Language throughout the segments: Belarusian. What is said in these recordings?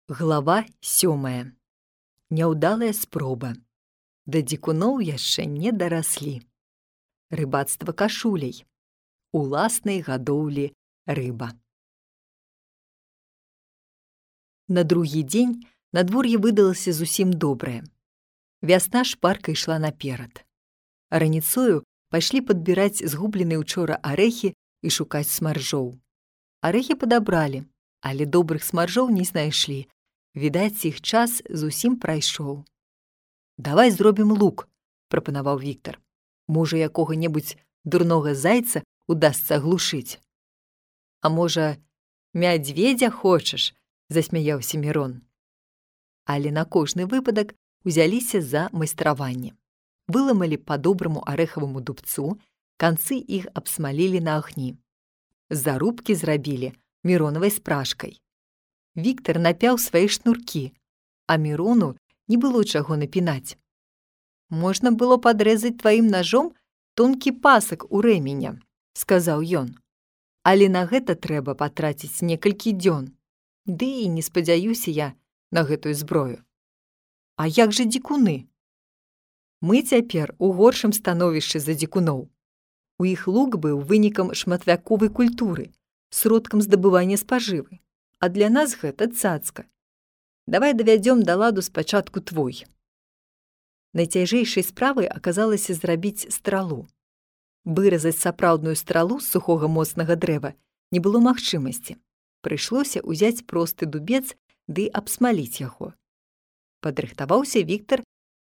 Глава 7. Няўдалая спроба. Да дзікуноў яшчэ не дараслі. Рыбацтва кашуляй. Уласнай гадоўлі рыба. На другі дзень надвор'е выдалася зусім добрае. Вясна шпарка ішла наперад. Раніцою пайшлі падбіраць згубленыя учора арэхі і шукаць смаржоў. Арэхі падабралі, але добрых смаржоў не знайшлі. Відаць, іх час зусім прайшоў. «Давай зробім лук», – прапанаваў Віктар. «Можа, якога-небудзь дурнога зайца удасца аглушыць». «А можа, мядзведзя хочаш?» – засмяяўся Мірон. Але на кожны выпадак узяліся за майстраванне. Выламалі па добраму арэхаваму дубцу, канцы іх абсмалілі на агні. Зарубкі зрабілі міронавай спражкай. Віктар напяў свае шнуркі, а Мірону не было чаго напінаць. «Можна было падрэзаць тваім нажом тонкі пасак у рэменя», – сказаў ён. «Але на гэта трэба патраціць некалькі дзён. Ды і не спадзяюся я на гэтую зброю». «А як жа дзікуны?» «Мы цяпер у горшым становішчы за дзікуноў. У іх лук быў вынікам шматвяковай культуры, сродкам здабывання спажывы. А для нас гэта цацка. Давай давядзём да ладу спачатку твой». Найцяжэйшай справай аказалася зрабіць стралу. Выразаць сапраўдную стралу з сухога моцнага дрэва не было магчымасці. Прыйшлося ўзяць просты дубец ды абсмаліць яго. Падрыхтаваўся Віктар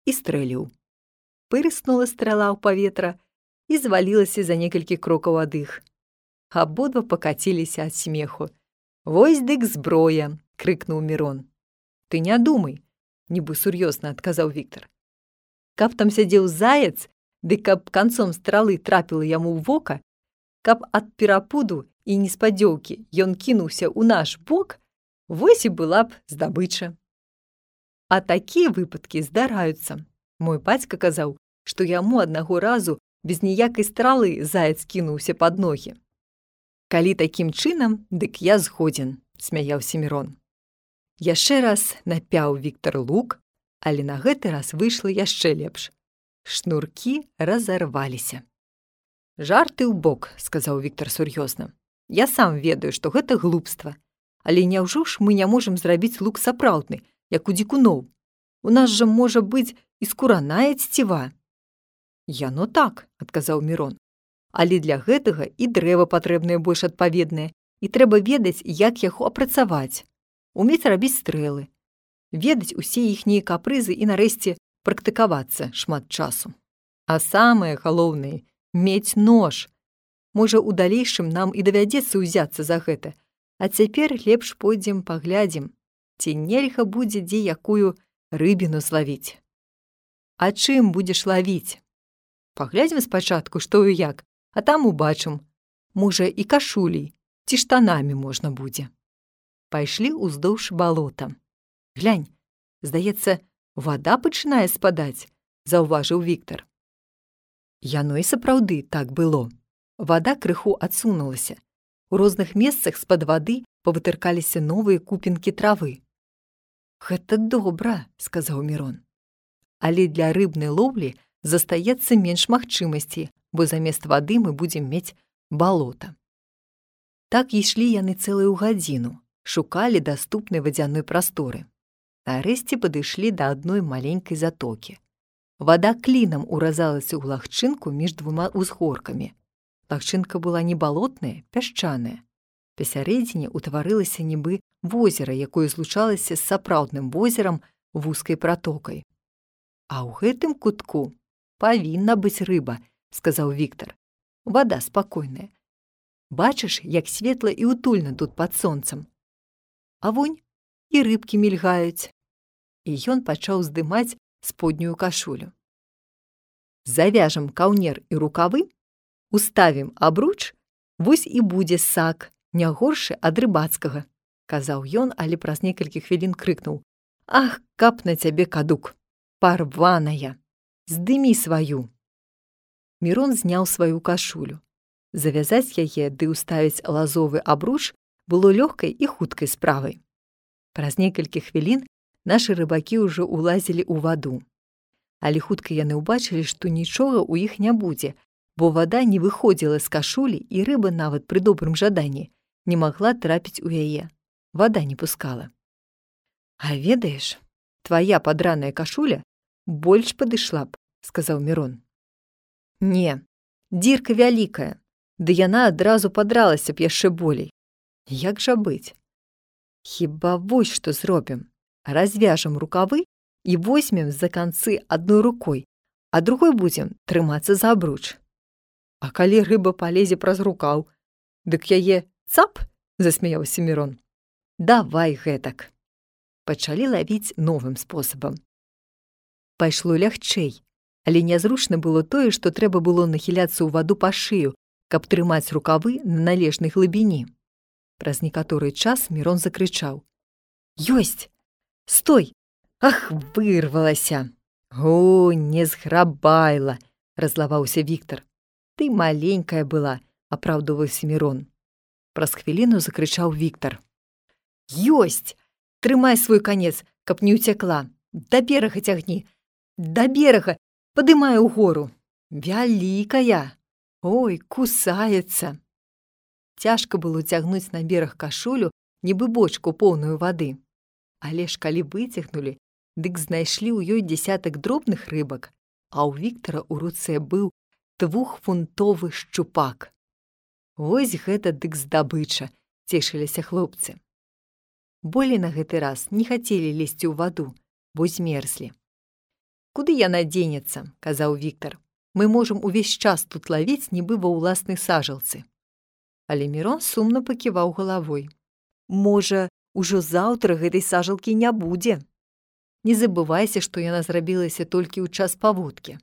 і стрэліў. Пырснула страла ў паветра і звалілася за некалькі крокаў ад іх. Абодва пакаціліся ад смеху. «Вось дык зброя!» – крыкнуў Мірон. «Ты не думай!» – нібы сур'ёзна адказаў Віктар. «Каб там сядзеў заяц, ды каб канцом стралы трапіла яму ў вока, каб ад перапуду і неспадзёўкі ён кінуўся ў наш бок, вось і была б здабыча. А такія выпадкі здараюцца. Мой бацька казаў, што яму аднаго разу без ніякай стралы заяц кінуўся пад ногі». «Калі такім чынам, дык я згодзін», – смяяўся Мірон. Яшчэ раз напяў Віктар лук, але на гэты раз выйшла яшчэ лепш. Шнуркі разарваліся. «Жарты ў бок», – сказаў Віктар сур'ёзна. «Я сам ведаю, што гэта глупства. Але няўжо ж мы не можам зрабіць лук сапраўдны, як у дзікуноў? У нас жа можа быць і скураная цева». «Яно так», – адказаў Мірон. «Але для гэтага і дрэва патрэбнае больш адпаведнае, і трэба ведаць, як яго апрацаваць, умець рабіць стрэлы, ведаць усе іхнія капрызы і, нарэшце, практыкавацца шмат часу. А самае галоўнае – мець нож. Можа, у далейшым нам і давядзецца ўзяцца за гэта, а цяпер лепш пойдзем паглядзім, ці нельга будзе дзе якую рыбіну злавіць». «А чым будзеш лавіць?» «Паглядзім спачатку, што і як, а там убачым. Можа, і кашулей, ці штанамі можна будзе». Пайшлі ўздоўж балота. «Глянь, здаецца, вада пачынае спадаць», – заўважыў Віктар. Яно і сапраўды так было. Вада крыху адсунулася. У розных месцах з-пад вады павытыркаліся новыя купінкі травы. «Гэта добра», – сказаў Мірон. «Але для рыбнай лоўлі застаецца менш магчымасці, бо замест вады мы будзем мець балота». Так ішлі яны цэлую гадзіну, шукалі даступнай вадзяной прасторы. Нарэшце падышлі да адной маленькай затокі. Вада клінам уразалася ў лагчынку між двума ўзгоркамі. Лагчынка была не балотная, пясчаная. Пасярэдзіне ўтварылася нібы возера, якое злучалася з сапраўдным возерам вузкай пратокай. «А ў гэтым кутку павінна быць рыба», – сказаў Віктар. «Вада спакойная. Бачыш, як светла і утульна тут пад сонцам. А вунь, і рыбкі мільгаюць». І ён пачаў здымаць споднюю кашулю. «Завяжам каўнер і рукавы, уставім абруч, вось і будзе сак, не горшы ад рыбацкага», – казаў ён, але праз некалькі хвілін крыкнуў. «Ах, каб на цябе кадук! Парваная! Здымі сваю!» Мірон зняў сваю кашулю. Завязаць яе ды ўставіць лазовы абруч было лёгкай і хуткай справай. Праз некалькі хвілін нашы рыбакі ўжо ўлазілі ў ваду. Але хутка яны ўбачылі, што нічога ў іх не будзе, бо вада не выходзіла з кашулі, і рыба нават пры добрым жаданні не магла трапіць у яе. Вада не пускала. «А ведаеш, твая падраная кашуля больш падышла б», – сказаў Мірон. «Не, дзірка вялікая, ды яна адразу падралася б яшчэ болей. Як жа быць? Хіба вось што зробім. Развяжам рукавы і возьмем за канцы адной рукой, а другой будзем трымацца за абруч. А калі рыба палезе праз рукаў, дык яе цап?» – засмяяўся Мірон. «Давай гэтак». Пачалі лавіць новым спосабам. Пайшло лягчэй, але нязручна было тое, што трэба было нахіляцца ў ваду па шыю, каб трымаць рукавы на належнай глыбіні. Праз некаторы час Мірон закрычаў: «Ёсць! Стой! Ах, вырвалася!» «О, не зграбайла!» – разлаваўся Віктар. «Ты маленькая была», – апраўдваўся Мірон. Праз хвіліну закрычаў Віктар: «Ёсць! Трымай свой канец, каб не ўцякла! Да берага цягні! Да берага! Падымай угору! Вялікая! Ой, кусаецца!» Цяжка было цягнуць на бераг кашулю, нібы бочку поўную вады. Але ж калі выцягнулі, дык знайшлі ў ёй дзясятак дробных рыбак, а ў Віктара ў руцэ быў 2-фунтовы шчупак. Вось гэта дык здабыча, цешыліся хлопцы. Болей на гэты раз не хацелі лезці ў ваду, бо змерзлі. «Куды яна дзенецца?» – казаў Віктар. «Мы можам увесь час тут лавіць, нібы ва ўласнай сажалцы». Але Мірон сумна паківаў галавой. «Можа, ужо заўтра гэтай сажалкі не будзе. Не забывайся, што яна зрабілася толькі ў час паводкі».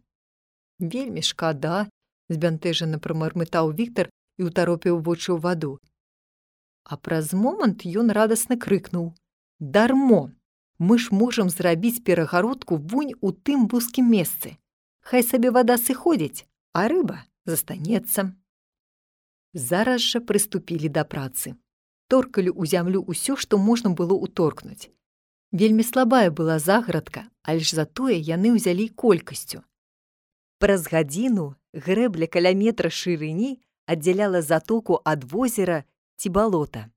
«Вельмі шкада», – збянтэжана прамармытаў Віктар і ўтаропіў вочы ў ваду. А праз момант ён радасна крыкнуў: «Дармо! Мы ж можам зрабіць перагародку вунь у тым вузкім месцы. Хай сабе вада сыходзіць, а рыба застанецца». Зараз жа прыступілі да працы. Торкалі ў зямлю ўсё, што можна было ўторкнуць. Вельмі слабая была заградка, але ж затое яны ўзялі колькасцю. Праз гадзіну грэбля каля метра шырыні аддзяляла затоку ад возера ці балота.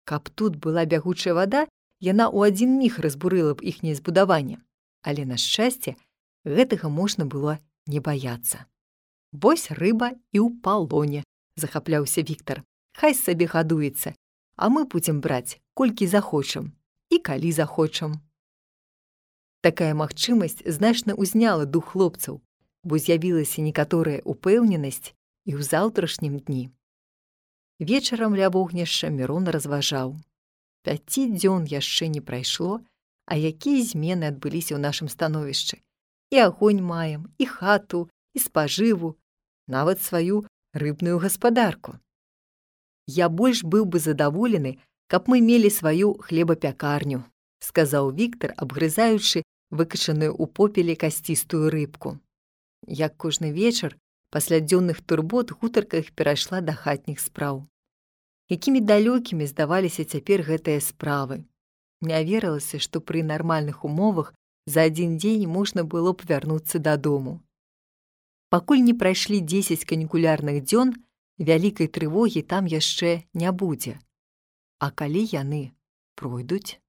Каб тут была бягучая вада, яна ў адзін міг разбурыла б іхняе збудаванне. Але, на шчасце, гэтага можна было не баяцца. «Вось рыба і ў палоне», – захапляўся Віктар. «Хай сабе гадуецца, а мы будзем браць, колькі захочам і калі захочам». Такая магчымасць значна ўзняла дух хлопцаў, бо з'явілася некаторая ўпэўненасць і ў заўтрашнім дні. Вечарам ля вогнішча Мірон разважаў: 5 дзён яшчэ не прайшло, а якія змены адбыліся ў нашым становішчы. І агонь маем, і хату, і спажыву, нават сваю рыбную гаспадарку. Я больш быў бы задаволены, каб мы мелі сваю хлебапякарню», – сказаў Віктар, абгрызаючы выкачаную ў попеле касцістую рыбку. Як кожны вечар, пасля дзённых турбот гутарка іх перайшла да хатніх спраў. Якімі далёкімі здаваліся цяпер гэтыя справы. Не верылася, што пры нармальных умовах за адзін дзень можна было б вярнуцца дадому. Пакуль не прайшлі 10 канікулярных дзён, вялікай трывогі там яшчэ не будзе. А калі яны пройдуць?